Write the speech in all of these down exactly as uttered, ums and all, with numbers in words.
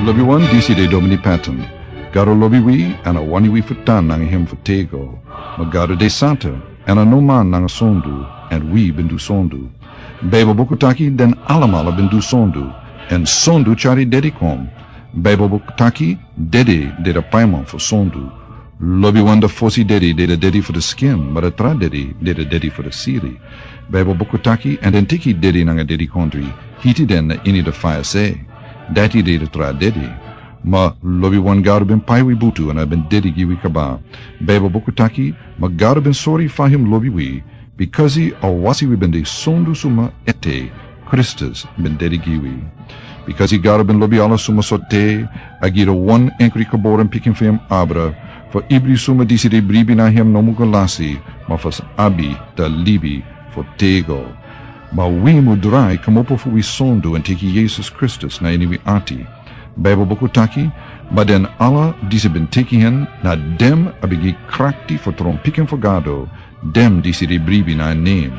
Lobiwan, disi de Domini Patton. Gado lobi wi, èn a wani wi fu tan nanga hem fu tego. Ma Gado de santa, èn a no man nanga sondu, èn wi ben du sondu. Baibel buku taki den alamala ben du sondu, èn sondu tyari dedi kon. Baibel buku taki dedi de da paiman fu sondu. Lobiwan, da fosi dedi de da dedi fu da skin, ma da tra dedi de da dedi fu da siri. Baibel buku taki, èn den teki dedi nanga dedikondri, hiti den na ini da faya se. Dati de da tra dedi. Ma lobiwan, Gado ben pai wi butu èn a ben dedi gi wi kaba. Baibel buku taki, ma Gado ben sori fa hem lobi wi, bikasi a wasi wi ben de sondu suma ete, Kristus ben dedi gi wi. Bikasi Gado ben lobi ala suma sortu, a gi da wan enkri geboren pikin fu hem abra, fu ibri suma disi de bribi na hem no mu go lasi, ma fu sa abi da libi fu tego. Ma wi mu drai kmopo fu wi sondu èn teki Yesus Kristus na ini wi ati. Baibel buku taki, ma den ala disi ben teki hen, na den a ben gi krakti fu tron pikin fu Gado, den disi de bribi na en nen.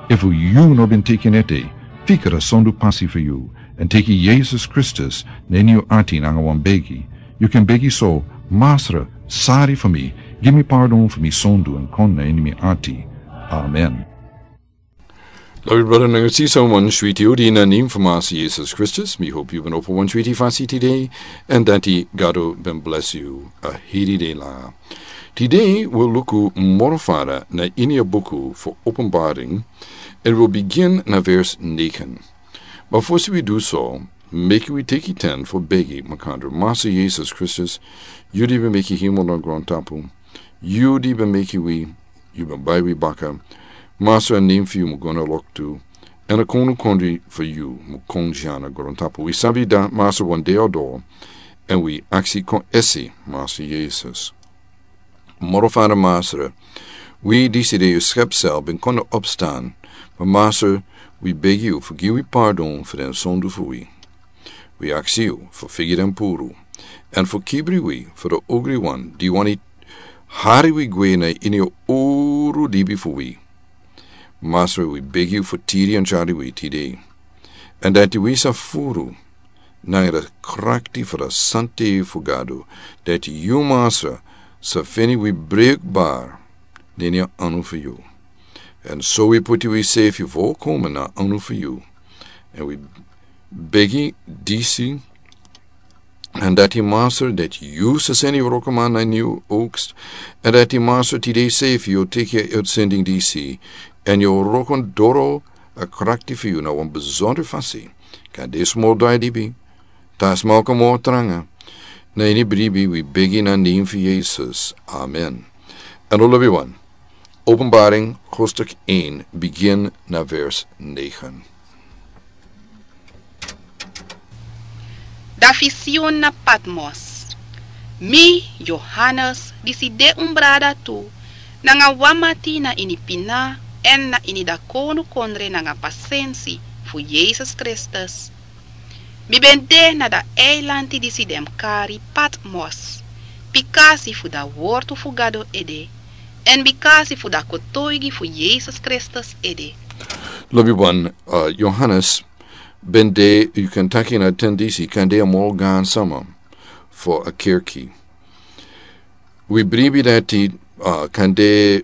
Efu yu no ben teki en ete, fika da sondu pasi fu yu, èn teki Yesus Kristus na ini yu ati nanga wan begi. Yu kan begi so: Masra, sari fu mi, gi mi pardon fu mi sondu èn kon na ini mi ati. Amen. Lobi brada nanga sisa, wan switi odi na nen fu Masra Yesus Kristus. Mi hopi yu ben opo wan switi fasi tide, èn dati Gado ben blesi yu a heri de la. Tide wi o luku moro fara na ini a buku fu Openbaring, èn wi o bigin na vers negen. Ma fosi wi du so, meki wi teki ten fu begi makandra. Masra Yesus Kristus, yu di ben meki hemel nanga grontapu, yu di ben meki wi, yu ben bai wi baka. Masra, a nen fu yu mu go na loktu, èn a kownukondre fu yu mu kon dya na grontapu. Wi sabi dati, Masra, wan dei o doro, èn wi aksi kon esi, Masra Yesus. Moro fara, Masra, wi disi de yu skepsel ben kon na opstan, ma Masra, wi begi yu fu gi wi pardon fu den sondu fu wi. Wi aksi yu fu figi den puru, èn fu kibri wi fu da ogriwan di wani hari wi gwe na ini a uru libi fu wi. Masra, wi begi yu fu tiri èn tyari wi tide, èn dati wi sa furu nanga da krakti fu da santa fu Gado, dati yu, Masra, sa feni wi brukbar na ini a anu fu yu. Èn so wi puti wi sefi volkomen na anu fu yu. Èn wi begi disi, èn dati, Masra, dati yu sa seni yu wrokoman na ini yu oogst, èn dati, Masra, tide sefi yu o teki a uitsending disi, èn yu o wroko doro a krakti fu yu na wan besondro fasi. Kande smol drai libi, ta sma o kon moro tranga. Na ini bribi wi begi na nen fu Yesus. Amen. Èn lobiwan, Openbaring hoofdstuk één, bigin na vers negen. Da visioen na Patmos. Mi, Johannes, disi de un brada tu, nanga wan mati na ini pina èn na ini da kownukondre nanga pasensi fu Yesus Kristus. Mi ben de na da eilanti disi den mus kari Patmos, bikasi fu da wortu fu Gado ede, èn bikasi fu da kotoigi fu Yesus Kristus ede. Lobiwan, uh, Johannes ben de, yu kan taki, na ten disi, kande a moro gaan sama fu a kerki. Wi bribi dati, uh, kande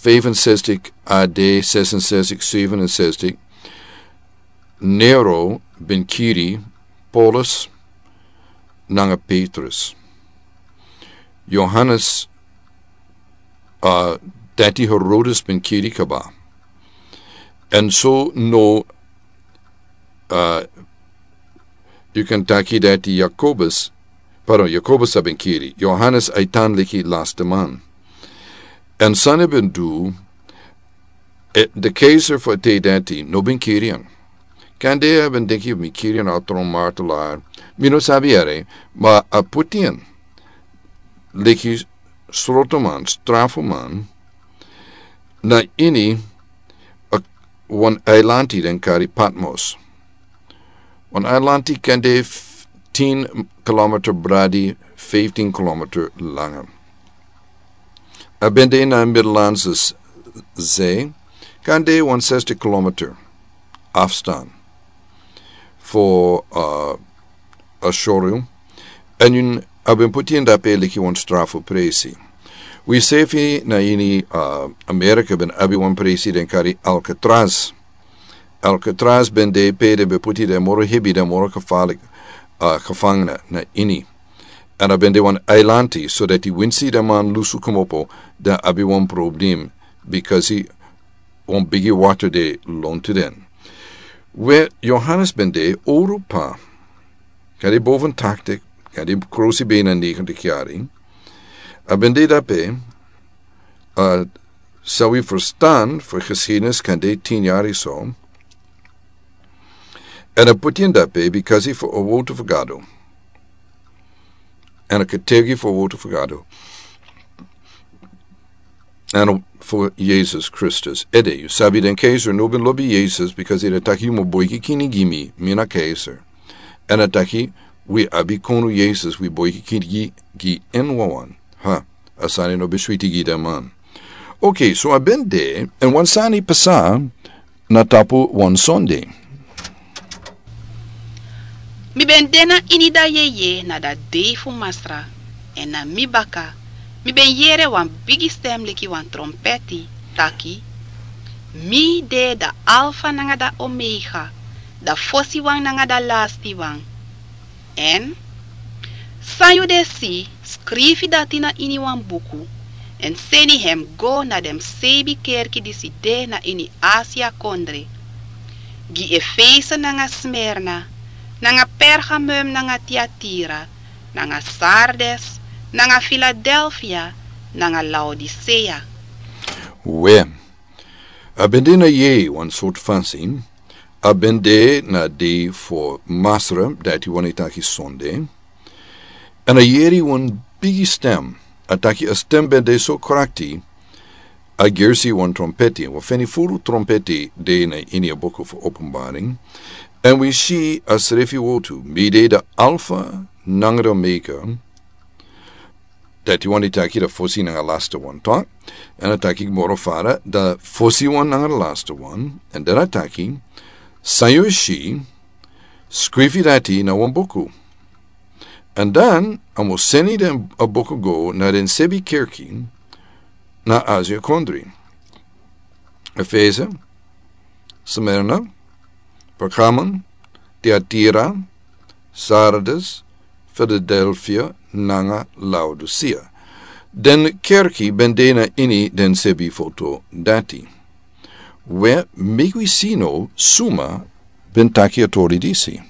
vijfenzestig A D, zesenzestig, zevenenzestig, Nero ben kiri Paulus nanga Petrus. Johannes, uh, dati Herodes ben kiri kaba. Èn so no, uh, yu kan taki dati Jakobus, pardon, Jakobus a ben kiri. Johannes a e tan leki laste man. Èn san a ben du, e, de keizer fu a tide dati no ben kiri en. Kande a ben denki mi kiri en na tron martelaar, mi no sabi ere, ma a puti en leki srotoman, strafuman, na ini a, wan eilanti den kari Patmos. Wan eilanti kande f-, tin kilometer bradi, vijftien kilometer langa. A ben de na Middellandse Z-, Zee, kande wan zestig kilometer afstand fu, uh, a showroom. Èn a ben poti en dape leki wan strafu presi. Wi sefi na ini, uh, Amerika ben abi wan presi den kari Alcatraz. Alcatraz ben de pe den ben poti den moro hebi, den moro kafalik, uh, kafangna na ini. Èn a ben de wan eilanti, so dati winsi den man lusu komopo, den abi wan problem, bikasi wan bigi water de lontu den. We Johannes ben de owru pa, kadi boven taktik, kadi krosi bena negentik yari. A ben de dape, uh, san wi ferstan fu geschiedenis kan de tin yari so. Èn a poti en dape bikasi fu a wotu fu Gado. Èn a ketegi fu a wotu fu Gado. Èn fu Jesus Kristus. Ede, yu sabi den keiser no ben lobi Jesus, bikasi den taki yu mu boiki kini gi mi, mi na keiser. Èn a taki, wi abi konu Jesus, wi boiki kini gi, gi en wawan. Ha, a sani no ben switi gi den man. Ok, so a ben de, èn wan sani pasa, na tapu wan sonde. Mi ben de na ini da yeye na da dei fu Masra, èn na mi baka, mi ben yere wan bigi stem leki wan trompeti, taki, mi de da Alfa nanga da Omega, da fosiwan nanga da lastiwan. Èn san yu de si, skrifi dati na ini wan buku, èn seni hem go na den seibi kerki disi de na ini Asia kondre. Gi Efese nanga Smirna, nanga Pergamum nanga Tiatira, nanga Sardes, nanga Filadelfia, nanga Laodisea. We, a ben de na yeye wan sortu fansin, a ben de na dei fu Masra, dati wani taki sonde. Èn a yere wan bigi stem, a taki a stem ben de so krakti, a gersi wan trompeti, wan feni furu trompeti de na ini a buku fu Openbaring. Èn wi si a srefi wotu, mi de da Alfa nanga da Omega, dati wani taki da fosi nanga lasti wan, toch? Èn a taki moro fara, da fosiwan nanga da lastiwan, èn dan a taki, san yu si, skrifi dati na wan buku. Èn dan, a mu seni den a buku go na den seibi kerki na Asia kondre. Efese, Smirna, Pergamum, Tiatira, Sardes, Filadelfia, nanga Laodisea. Den kerki ben de na ini den seibi foto dati. We, meki wi si now suma ben taki a tori disi.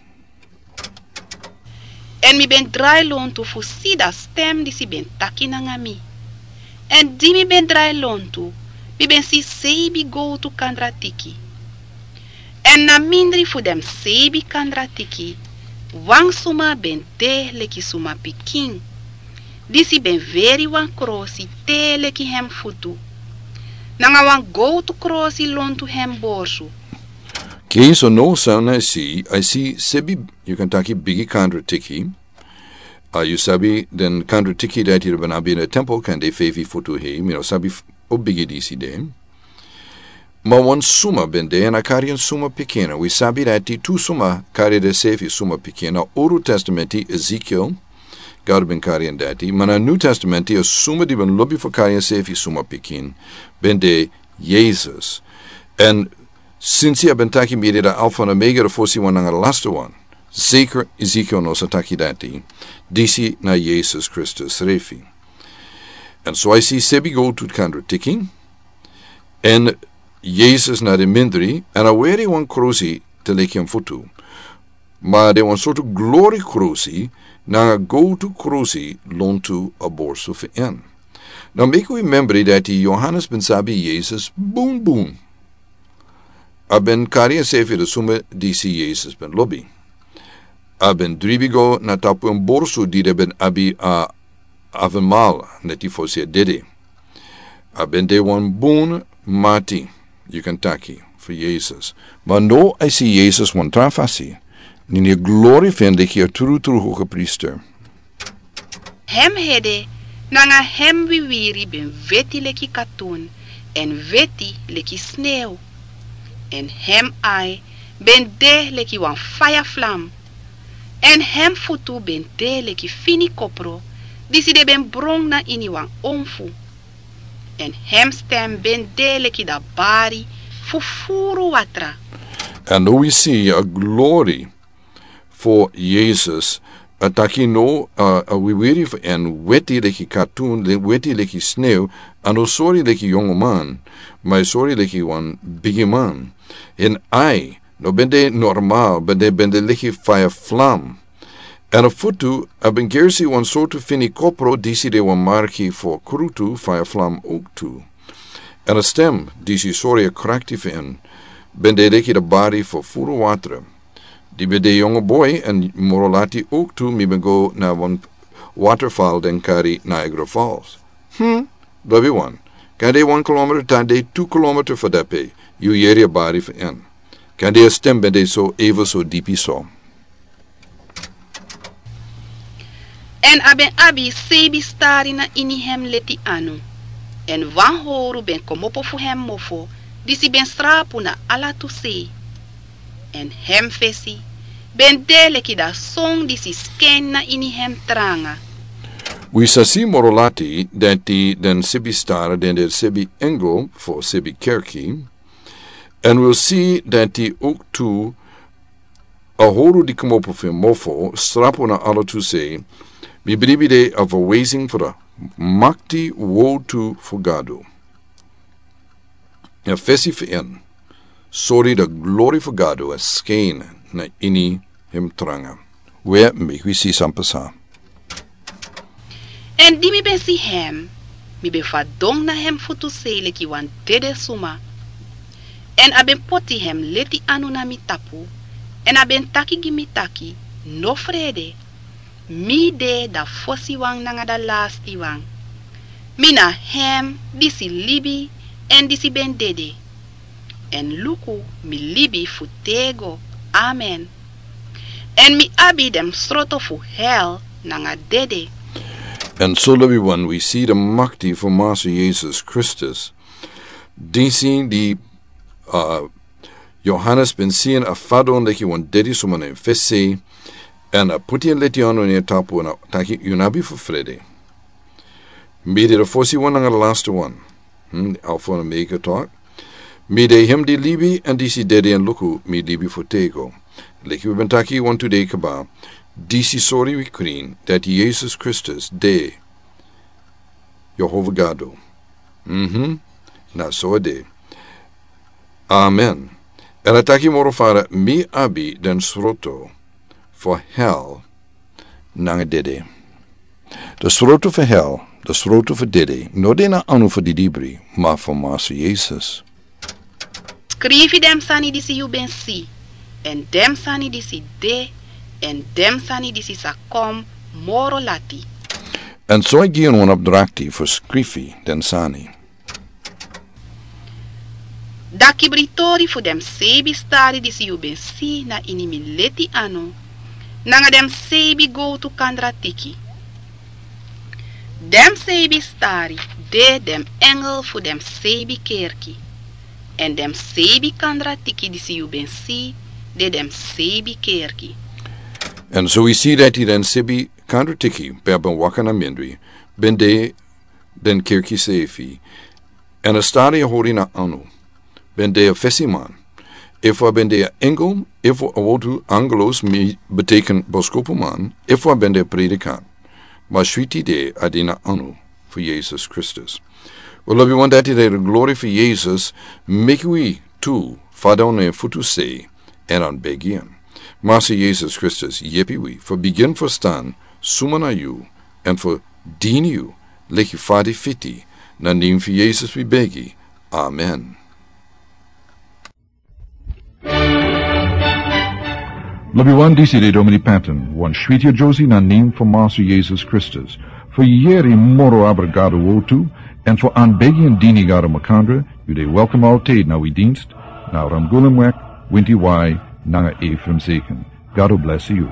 Èn mi ben drai lontu fu si da stem disi ben taki nanga mi. Èn di mi ben drai lontu, mi ben si seibi gowtu kandratiki. Èn na mindri fu den seibi kandratiki, wan suma ben de leki suma pikin. Disi ben weri wan krosi te leki hem futu. Nanga wan gowtu krosi lontu hem borsu. Kei so now san a si, a si seibi, yu kan taki bigi kandratiki. A, yu sabi den kandratiki dati den ben abi na tempel kan de feifi futu hei, mi no sabi f-, o bigi disi de. Ma wan suma ben de, èn a kari en suma pikin. Wi sabi dati tu suma kari den seifi suma pikin. Na Owru Testamenti, Ezekiel, Gado ben kari en dati. Ma na New Testamenti, a suma di ben lobi fu kari en seifi suma pikin, ben de Jesus. Èn sinsi a ben taki mi de da Alfa nanga Omega, da fosiwan nanga da lastiwan. Zeker Ezekiel no sa taki dati. Disi na Jesus Kristus srefi. Èn so a si seibi gowtu kandratiki. Èn Jesus na den mindri, èn a weri wan krosi te leki hem futu. Ma de wan sortu glori krosi, nanga gowtu krosi lontu a borsu fu en. Now meki wi membri dati Johannes ben sabi Jesus bun bun. A ben kari ensrefi da suma disi Jesus ben lobi. A ben dribi go na tapu en borsu di den ben abi a avenmal, neti fosi a dede. A ben de wan bun mati, yu kan taki, fu Jesus. Ma now a si Jesus wan tra fasi, na ini a glori fu en leki a trutru hogepriester. Hem hede nanga hem wiwiri ben weti leki katun, èn weti leki snew. Èn hem ai ben de leki wan faya flam. Èn hem futu ben de leki fini kopro disi den ben bron na ini wan onfu. Èn hem sten ben de leki dabari fu furu watra. Èn now wi si a glori fu Yesus, a taki now, a, a wiwiri fu en weti leki katun, le-, weti leki snew, a no sori leki yongoman, ma a sori leki wan bigiman. En ai, no ben de normal, ben de, ben de leki faya flam. Èn a futu, a ben gersi wan sortu fini kopro disi de wan marki fu krutu faya flam owktu. Èn a stem, disi sori a krakti fu en, ben de leki dabari fu furu watra. Di ben de yongu boi èn moro lati owktu mi ben go na wan waterfall den kari Niagara Falls. Hmm, lobi wan. Kande wan kilometer tan de tu kilometer fu dape, yu yeri a bari fu en. Kande a stem ben de so ever so dipi so. Èn a ben abi seibi stari na ini hem leti anu. Èn wan howru ben komopo fu hem mofo, disi ben srapu na ala tu sei. Èn hem fesi ben de leki da son disi sken na ini hem tranga. Wi sa si moro lati dati den seibi stari den de seibi engel fu seibi kerki. Èn wi si dati owktu a howru di komopo fu mofo srapu na ala tu sei, mi bribi de a verwezing fu da makti wotu fu Gado. A fesi fu en sori da glori fu Gado a sken na ini hem tranga. We meki wi si san pasa. Èn di mi ben si hem, mi ben fadon na hem futu sei leki wan dede suma. Èn a ben poti hem leti anu na mi tapu, èn a ben taki gi mi taki, no frede, mi de da fosiwan nanga da lastiwan. Mi na hem disi libi èn disi ben dede. Èn luku, mi libi fu tego. Amen. Èn mi abi den sroto fu hel nanga dede. Èn so lobi wan wi si da makti fu Masa Yesus Kristus. Disi di, a, Yohanes ben si en a fadon leki wan dede suma na en fesi. Èn a poti en leti anu na en tapu èn a taki yu no abi fu frede. Mi de da fosiwan nanga da lastiwan. Hmm, Alfa èn Omega tok. Mi de hem di libi èn disi dede èn luku mi libi fu tego. Leki wi ben taki wantu dei kaba. Disi sori wi krin dati Yesus Kristus de Yehova Gado. Mhm. Na so a de. Amen. Èn a taki moro fara mi abi den sroto fu hel nanga dede. Da sroto fu hel, da sroto fu dede, no de na anu fu di libri, ma fu Masa Yesus. Skrifi den sani disi yu ben si, èn den sani disi de, èn den sani disi sa kon moro lati. Èn so a gi en wan opdrakti fu skrifi den sani. Da kibri tori fu den seibi stari disi yu ben si na ini mi leti anu, nanga den seibi gowtu kandratiki. Den seibi stari de den engel fu den seibi kerki, èn den seibi kandratiki disi yu ben si de den seibi kerki. Èn so wi si dati den seibi kandratiki pe a ben waka na mindri, ben de den kerki seifi, èn a stari a hori na anu, ben de a fesiman. Efu a ben de a engel, efu a wotu angelos mi beteken boskopuman, efu a ben de a predikant. Ma switi de a de na anu fu Yesus Kristus. Wi lobi wan dati de da glori fu Yesus, meki wi tu fadon na en futu sei, èn anbegi en. Masa Yesus Kristus, yepi wi fu bigin ferstan suma na yu, èn fu dini yu leki fa di fiti, na nen fu Yesus wi begi. Amen. Lobi wan, disi de Domini Patton, wan switi a Josie na nen fu Masa Yesus Kristus. Fu yeri moro abra Gado wotu, èn fu anbegi èn dini Gado makandra, yu de welkom altijd na wi dienst, na Ramgulumweg, Winti Wai, nanga Ephraim Zeken. Gado blesi yu.